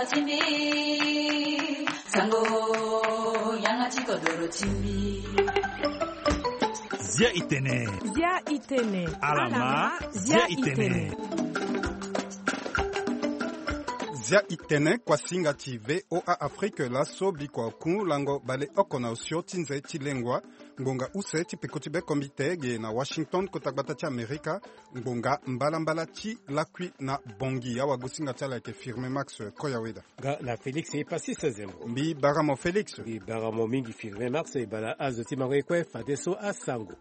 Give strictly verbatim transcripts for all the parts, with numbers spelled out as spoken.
Timbi, sango, yanga ti kodoro timbi. Zia itene. Zia itene. Alama, zia itene. Zia itene kuasinga ti V O A Afrique laso bikua oku lango baleoko na osio ti nze ti lengua. Ngbonga use ti peko ti bekombite ge na Washington, kota gbata ti Amerika. Ngbonga mbalambala ti lakui na Bangui. Awagosinga ti ala ayeke Firmin Max Koyaweda. Nga na Félix Passis Zembo. Mbi bara mo Félix. Mbi bara mo mingi Firmin Max. E bala azo ti mango ye kue fadeso asango.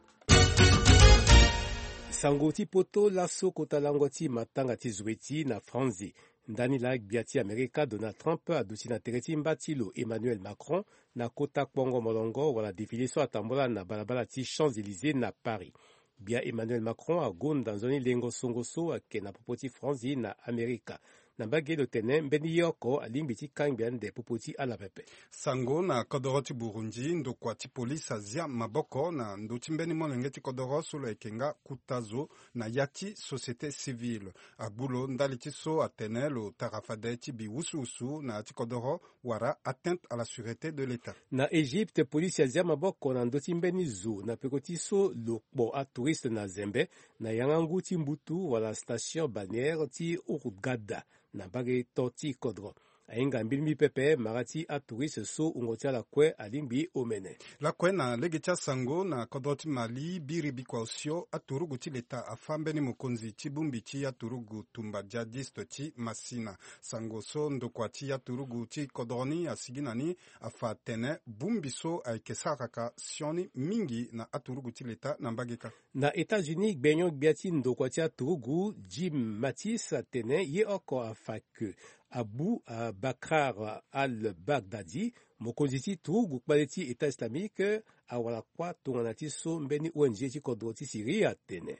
Sango ti poto laso kota lango ti matanga ti zueti na Franzi. Ndani laa gbia ti Amerika Donald Trump aduti na tere ti mba ti lo Emmanuel Macron na kota kpongo molongo wala défilé so atambula na balabala ti Champs-Élysées na Paris. Gbia Emmanuel Macron agonda nzoni lengo songo so ayeke na popo ti Franzi na Amerika. Na mbage lo tene mbeni ye oko alingbi ti kangbi ande popo ti ala pepe. Sango na kodoro ti Burundi, ndokua ti polisi azia maboko na ndö ti mbeni molenge ti kodoro so lo yeke nga kuta zo na ya ti société civile. Agbu lo ndali ti so atene lo tara fade ti bi wusuwusu na ya ti kodoro wala atteinte à la sûreté de l'État. Na Égypte, polisi azia maboko na ndö ti mbeni zo na peko ti so lo kpo atouriste na zembe na yanga ngu ti mbutu wala station balnéaire ti Hurghada na mbage to ti kodro. Ahinga mbilimbi pepe mara ti atouriste so wungo ti ala kue alingbi omene. Lakue na lege ti asango na kodro ti Mali, biri bikua osio aturugu ti leta afa mbeni mokonzi ti bongbi ti aturugu tumba djihadiste ti Masina. Sango so ndokua ti aturugu ti kodro ni asigi na ni afa atene bongbi so ayeke saraka sioni mingi na aturugu ti leta na mbage kâ. Na États-Unis, gbenyo-gbia ti ndokua ti aturugu Jim Mattis atene ye oko afa ke Abu Bakr al-Baghdadi, mokonzi ti turugu kpale ti État islamique, awara kuâ tongana ti so mbeni O N G ti kodro ti Syrie atene.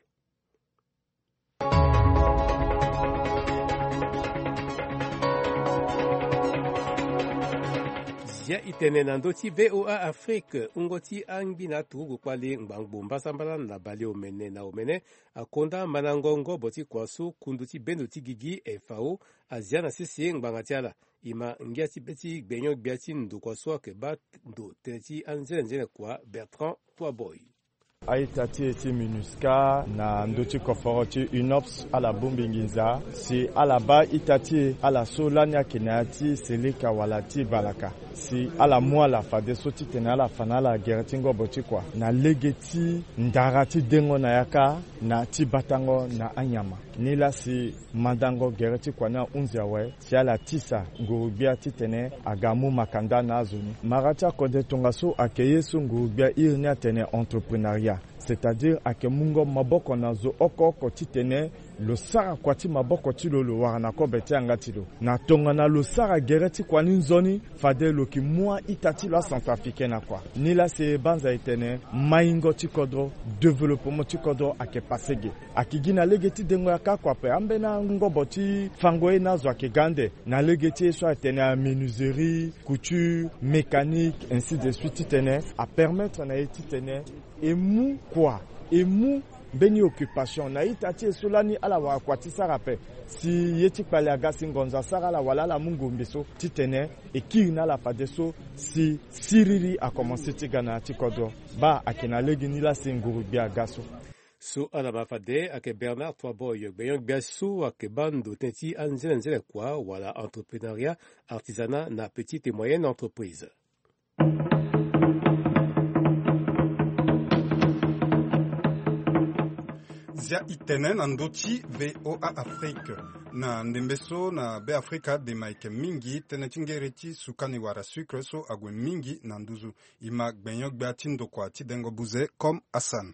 Zia itene na ndö ti V O A Afrique, wungo ti angbi na aturugu kpale ngbangbo mbasambala na baleomene na omene akonda mandango ngobo ti kua so kundu ti bendo ti gigi F A O azia na sese ngbanga ti ala. E ma ngia ti be ti gbenyo-gbia ti ndokua so ayeke baa ndo tënë ti anzenenzene kua Bertrand Toiboy. A-ita ti e ti MINUSCA na ndö ti koforo ti UNOPS ala bongbi nginza si ala baa ita ti e ala so lani ayeke na ya ti seleka wala ti balaka. Si ala mu ala fadeso titene ala fa na ala gere ti ngobo ti kua na lege ti ndara ti dengo na yaka na ti batango na anyama. Nilaa si mandango gere ti kua ni ahunzi awe si ala tisa nguru-gbia titene aga mu makanda na azo ni. Mara ti akode tongaso ayeke ye so nguru-gbia iri ni atene entreprenariat, c'est-à-dire ayeke mungo maboko na zo oko oko titene lo sara kua ti maboko ti lo, lo wara na kobe ti yanga ti lo. Na tongana lo sara gere ti kua ni nzoni, fade lo yeke mu a-ita ti lo acentrafricain na kua. Nilaa si e banza e tene maingo ti kodro, développement ti kodro ayeke pase ge. Ayeke gi na lege ti dengo yaka kua ape. Ambeni angobo ti fango ye na azo ayeke ga ande na lege ti ye so atene amenuiserie, couture, mécanique, ainsi de suite, titene apermettre na e titene e mu kua, e mu mbeni occupation na ita ti e so lani ala wara kua ti sara ape. Si ye ti kpale aga si ngonzo asara ala wala ala mu ngombe so titene e kiri na ala fadeso si siriri akomanse ti ga na ya ti kodro. Baa ayeke na legeni laa si nguru-gbia aga so. So ala ma fade ayeke Bernard Toiboy, gbenyo-gbia so ayeke baa ndo tënë ti anzenenzene kua wala entreprenariat, artisanat na petite et moyenne entreprise. Zia itene na ndö ti V O A Afrique. Na ndembe so na Beafrika dema ayeke mingi tënë ti ngere ti sukani wala sucre so ague mingi na nduzu. E ma gbenyo-gbia ti ndokua ti dengo buze comme Hassan.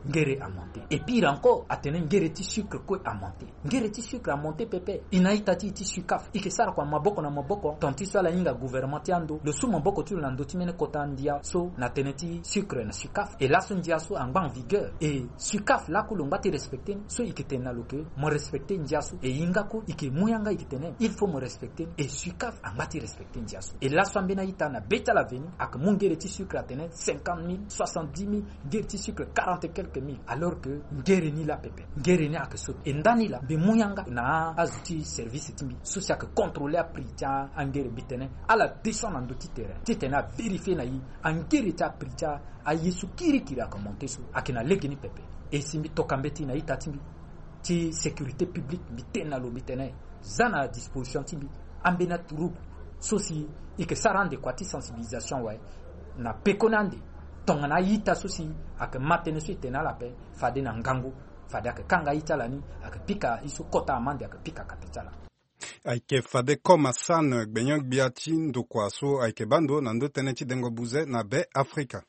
Ngere amonte. Et pire encore, atene ngere ti sucre kue amonte. Ngere ti sucre amonte pepe. E na ita ti e ti SUCAF, e yeke sara kua maboko na maboko, tant ti so ala hinga gouvernement ti ando lo su maboko ti lo na ndö ti mbeni kota ndia so na tënë ti sucre na SUCAF. Et laso ndia so angba en vigueur. Et SUCAF laku lo ngba ti respecter ni. So e yeke tene na lo ke mo respecter ndia so. Et e hinga kue e yeke mu yanga e yeke tene il faut mo respecter ni. Et SUCAF angba ti respecter ndia so. Et laso ambeni a-ita na be ti ala veni ayeke mu ngere ti sucre atene cinquante mille, soixante-dix mille, ngere ti sucre quarante et quelques Ke mingi alors ke ngere ni laa pepe, ngere ni ayeke so. E ndani laa mbi mu yanga na azo ti service ti mbi so si ayeke contrôler aprix ti angere, mbi tene ala descend na ndö ti terrain titene avérifier na e angere ti aprix ti aye so kirikiri ayeke monter so ayeke na lege ni pepe. E si mbi toka mbeti na ita ti mbi ti sécurité publique, mbi tene na lo, mbi tene za na disposition ti mbi ambeni aturugu so si e yeke sara ande kua ti sensibilisation awe na pekoni ande. Tongana a-ita so si ayeke ma tënë so e tene na ala ape, fade na ngangu, fade ayeke kanga aye ti ala ni, ayeke pika ye so kota amande, ayeke pika kate ti ala. Ayeke fade Comme Hassan, gbenyo-gbia ti ndokua so ayeke baa ndo na ndö tënë ti dengo buze na Be Afrika.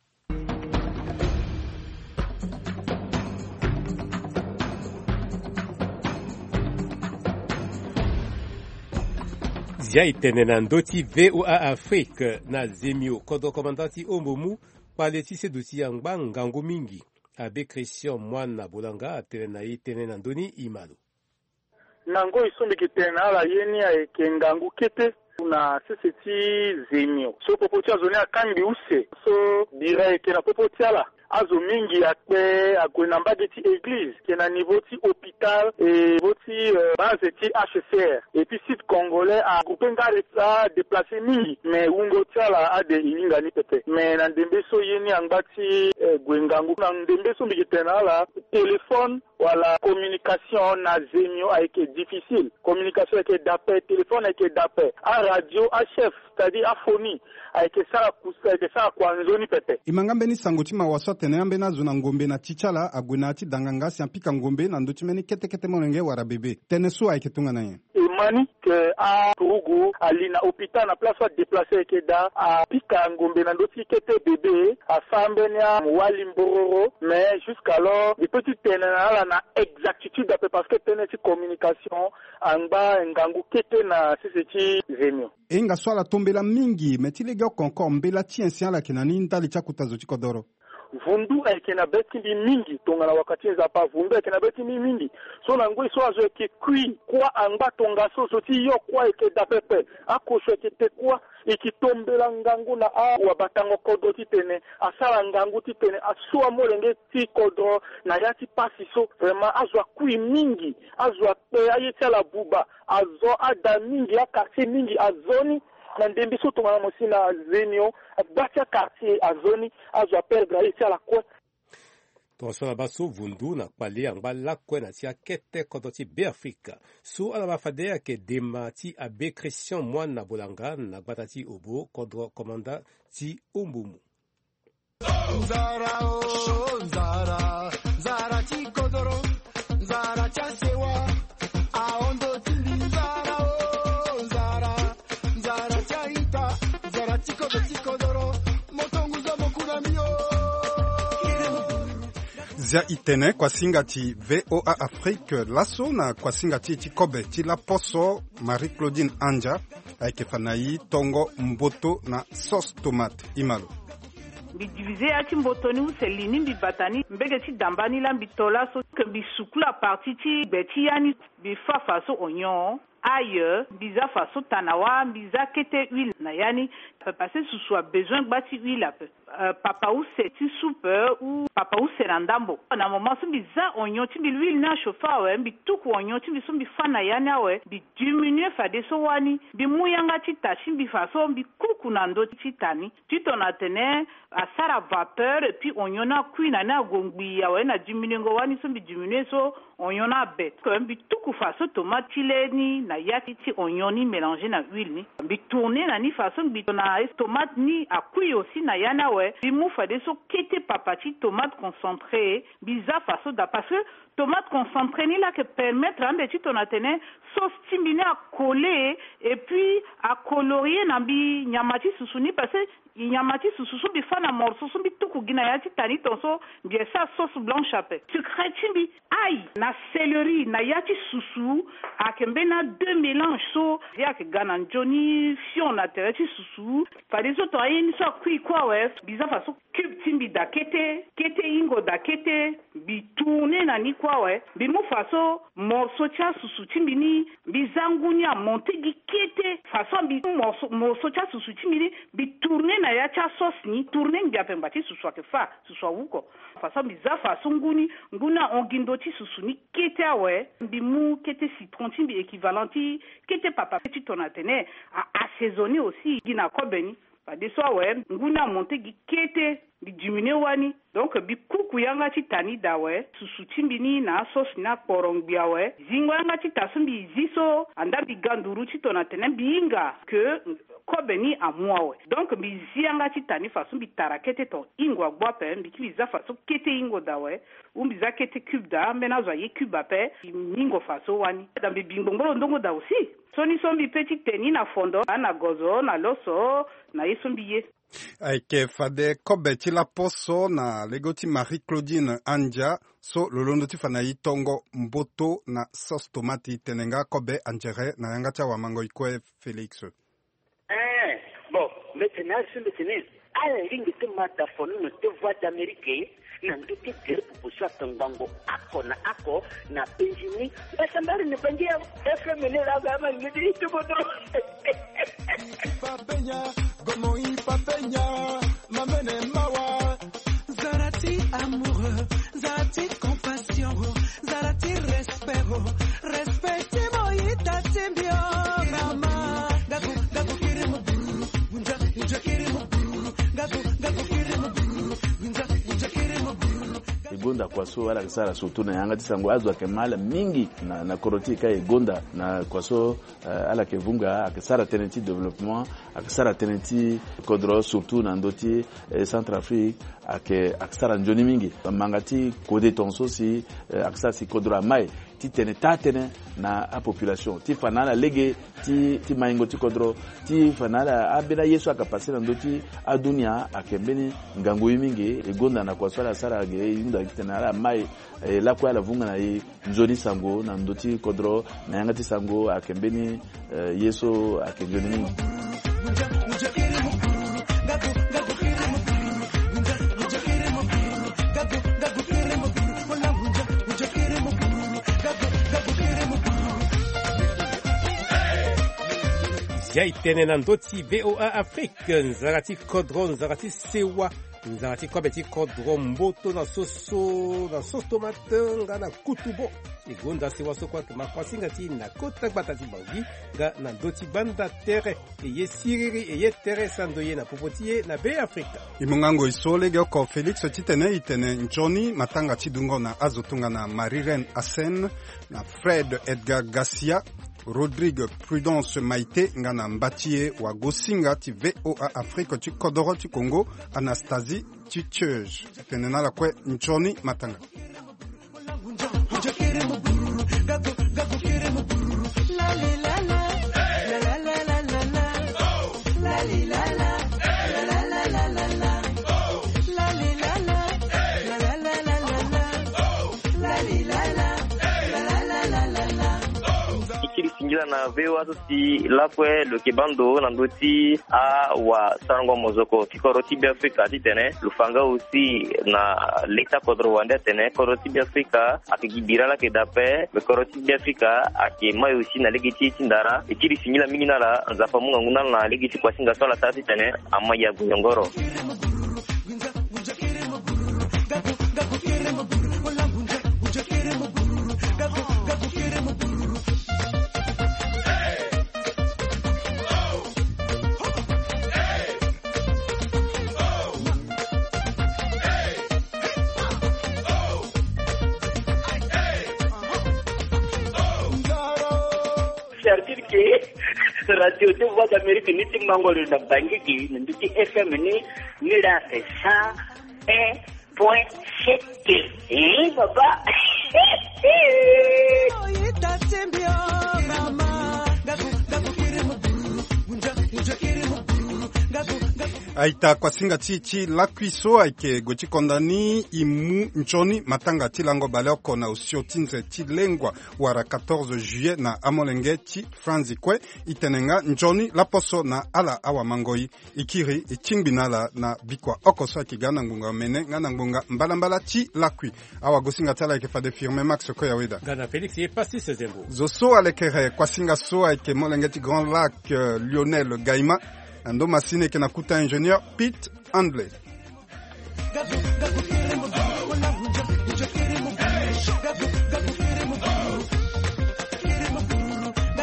Zia e tene na ndö ti V O A Afrique na Zemio, kodro komanda ti Ombomu, kpale ti seduti angba ngangu mingi, Abbé Christian Moine Bolanga, atene na e tënë na ndö ni. E ma lo. Na ngoi so mbi yeke tene na ala, ye ni ayeke ngangu kete na sese ti Zemio so popo ti azo ni akangbi use. So bira ayeke na popo ti ala, azo mingi akpe ague na mbage ti église, ayeke na niveau ti hôpital, niveau ti, euh, base ti H C R. Et puis Sud Congolais agroupe nga, adéplacer mingi, mais wungo ti ala ade e hinga ni pepe. Mais na ndembe so ye ni angba ti, euh, gue ngangu, na ndembe so mbi yeke tene na ala, téléphone wala communication na Zemio ayeke difficile. Communication ayeke daa ape, téléphone ayeke daa ape. Aradio, achef, c'est-à-dire aphonie, ayeke sara kus-, ayeke sara kua nzoni pepe. E ma nga mbeni sango ti mawa so atene ambeni azo na ngombe na ti ti ala ague na ya ti danganga si apika ngombe na ndö ti mbeni kete kete molenge wala bebe. Tënë so ayeke tongana nyen? E ma ni ke aturugu ali na hôpital na place so adéplacer ayeke daa, apika ngombe na ndö ti kete bebe, asara mbeni amwali mbororo, mais jusqu'alors e peut ti tene na ala na exactitude ape, parce que tënë ti communication angba ngangu kete na sese ti Zemio. E hinga so ala tombela mingi, mais ti legeoko encore mbela ti nyen si ala yeke na ni ndali ti akota zo ti kodoro? Vundu ayeke na be ti mbi mingi, tongana wakati nzapa vundu ayeke na be ti mbi mingi. So na ngoi so azo ayeke kui kuâ angba tongaso, zo ti yo kuâ ayeke daa pepe, akosho ayeke te kuâ. E yeke tombela ngangu na awabatango kodro titene asara ngangu titene aso amolenge ti kodro na ya ti pasi so. Vraiment azo akui mingi, azo akpe, aye ti ala abuba, azo ada mingi, akartier mingi azo ni. Na ndembe so tongana mo si na Zemio, gba ti akartier azo ni, azo aperdre aye ti ala kue. Tongaso ala baa so vundu na kpale angba lakue na ti akete kodro ti Beafrika. So ala baa fade ayeke dema ti Abbé Christian Moine Bolanga na gbata ti Obo, kodro komanda ti Ombomu. Nzara o, nzara, nzara ti kodoro, nzara ti asewa, ahon ndo ti mbi. Nzara o, nzara, nzara ti a-ita, nzara ti kodro ti kodoro, mo tongo zo mo ku na mbi o. Zia e tene kuasinga ti V O A Afrique laso na kuasinga ti e ti kobe ti laposo, Marie Claudine Andia, ayeke fa na e tongo mboto na sauce tomate. E ma lo. Mbi diviser ya ti mboto ni use li ni, mbi bata ni mbege ti damba ni laa, mbi to laso ke mbi sukula partie ti gbe ti ya ni. Mbi fâ faso oignon, ail, mbi zia faso tanawa, mbi zia kete huile na ya ni. Parce que susu a besoin gba ti huile ape. Euh, papa use ti soupe ou papa use na ndambo. Na moment so mbi zia oignon ti mbi, l'huile ni a chauffer awe, mbi tuku oignon ti mbi so mbi fâ na ya ni awe, mbi diminuer fadeso wani, mbi mu yanga ti ta ti mbi faso mbi kuku na ndö ti ta ni. Titene atene asara vapeur, et puis oignon ni akui na ni ague ngbii awe, na diminuengo wani so mbi diminuer so oignon ni abe. Mbi tuku faso tomate ti le ni na ya ti, ti oignon ni mélanger na huile ni. Mbi tourner na ni faso mbi to na tomate ni akui aussi na ya ni awe. Mbi mu fadeso kete papa ti tomate concentré, mbi zia faso daa, parce que tomate concentré ni laa ayeke permettre ande titene atene sauce ti mbi ni acoller, et puis acolorier na mbi nyama ti susu ni, parce que nyama ti susu so mbi fâ na morceau so mbi tuku gi na ya ti ta ni, tongaso mbi yeke sara sauce blanche ape. Secret ti mbi, ail na céleri na ya ti susu ayeke mbeni a deux mélange so ye ayeke ga na nzoni fion na tere ti susu. Fadeso tongana ye ni so akui kue awe, mbi zia faso cube ti mbi daa kete, kete hingo daa kete, mbi tourner na ni kue awe, mbi mu faso morceau ti asusu ti mbi ni, mbi zia ngu ni amonter gi kete Faso mbi mo so ti asusu ti mbi ni mbi tourne na ya ti asos ni tourne ngbia pe ngba ti susu ake fa susu awu ko. Faso mbi za faso ngu ni ngu ni ahon gi ndo ti susu ni kete awe. Mbi mu kete citron ti mbi équivalent ti kete papa ti tona tene a assaisonner aussi gi na kobe ni. Fadeso awe ngu ni amonte gi kete. Mbi diminuer wani. Donc mbi kuku yanga ti ta ni daa awe susu ti mbi ni na asos ni akporo ngbi awe. Zingo yanga ti ta so mbi zi so anda mbi ga nduru ti tona tene mbi hinga ke kobe ni amu awe. Donc mbi zi yanga ti ta ni faso mbi tara kete ton hingo agbu ape mbi kiri za faso kete hingo daa awe. Ou mbi za kete cube daa ambeni azo aye cube ape. Mbi hingo faso wani daa mbi bi ngbongbolo ndongo daa aussi. Soni so mbi pe ti te ni na fondo na gozo na loso na ye so mbi ye. Ayeke fade kobe ti laposo na lego ti Marie Claudine Andia so lo londo ti fa na e tongo mboto na sauce tomate. Tene nga kobe andiere na yanga ti awamango e kue Félix. Eh, bon, mbi tene azo mbi tene ala lingbi ti ma da fonono ti Voix d'Amérique na ndö ti gere popo so atongbango ako na ako na penzi ni. Asambari ni bangi ya F M ni la ga ma ngidi ti bodo. Papenya, gomo i papenya, mamene mawa. Zara ti amoureux, zara ti compassion, zara ti respect, respect ti mo ita ti mbi o mama. Gagu gagu kiri mo buru, unja unja kiri mo buru, gagu gagu kiri mo buru, unja unja kiri mo buru. E gonda kua so ala yeke sara surtout na yanga ti sango azo ayeke ma ala mingi na, na kodro ti e ka e gonda na kua so. Eh, ala yeke vunga ayeke sara tënë ti développement, ayeke sara tënë ti kodro surtout na ndö ti eh, Centrafrique. Ayeke ayeke sara nzoni mingi manga ti kode tongaso si eh, ayeke sara si kodro amai ti tene taa tënë na apopulation ti fa na ala lege ti ti maingo ti kodro ti fa na ala ambeni aye so ayeke passe na ndö ti adunia ayeke mbeni ngangu ye mingi. E gonda na kua so ala sara ge e hunda gi tene ala mai. E lakue ala vunga na e nzoni sango na ndö ti kodro na yanga ti sango ayeke mbeni eh, ye so ayeke nzoni mingi. Zia e tene na ndö ti V O A Afrique, nzara ti kodro, nzara ti sewa, nzara ti kobe ti kodro, mboto na soso, na sauce tomate nga na kutubo. E gonda sewa so kue ayeke ma kuasinga ti e na kota gbata ti Bangui nga na ndö ti gbanda tere. E ye siriri e ye tere sando ye na popo ti e na Beafrika. E mu nga ngoi so legeoko Félix titene e tene nzoni matanga ti dungo na azo tongana Marie Reine Hassen, na Fred Edgar Garcia, Rodrigue Prudence Maïté nga na mba ti e wagosinga ti V O A Afrique ti kodoro ti Congo, Anastasie Titieuse. Tene na ala kue nzoni matanga. Singila na V O A so si lakue lo yeke baa ndo na ndö ti awasarango mozoko ti kodro ti Beafrika titene lo fa nga aussi na leta kodro wande atene kodro ti Beafrika ayeke gi bira laa ayeke daa ape. Me kodro ti Beafrika ayeke mai aussi na lege ti e ti ndara. E kiri singila mingi na ala, Nzapa amu ngangu na ala na lege ti kuasinga so ala sara titene amai ague nyongoro. Certitude ke radio ti Voix d'Amérique ni ti mango lo na Bangui gi na ndö ti F M ni, ni la cent un point sept. Eh, papa. Aita kuasinga ti ti lakui so ayeke gue ti konda ni e mu nzoni matanga ti lango baleoko na osio ti nze ti lengua wala quatorze juillet na amolenge ti franzi kue. E tene nga nzoni laposo na ala awamangoi. E kiri e tingbi na ala na bikua oko so ayeke ga na ngbonga mene nga na ngbonga mbalambala ti lakui. Awagosinga ti ala ayeke fade firme max koyaweda. Gana félix ye pastis zembo. Zo so alekere kuasinga so ayeke molenge ti grand lac, lionel gaima. Na ndo masini eke na kuta ingénieur pete handley.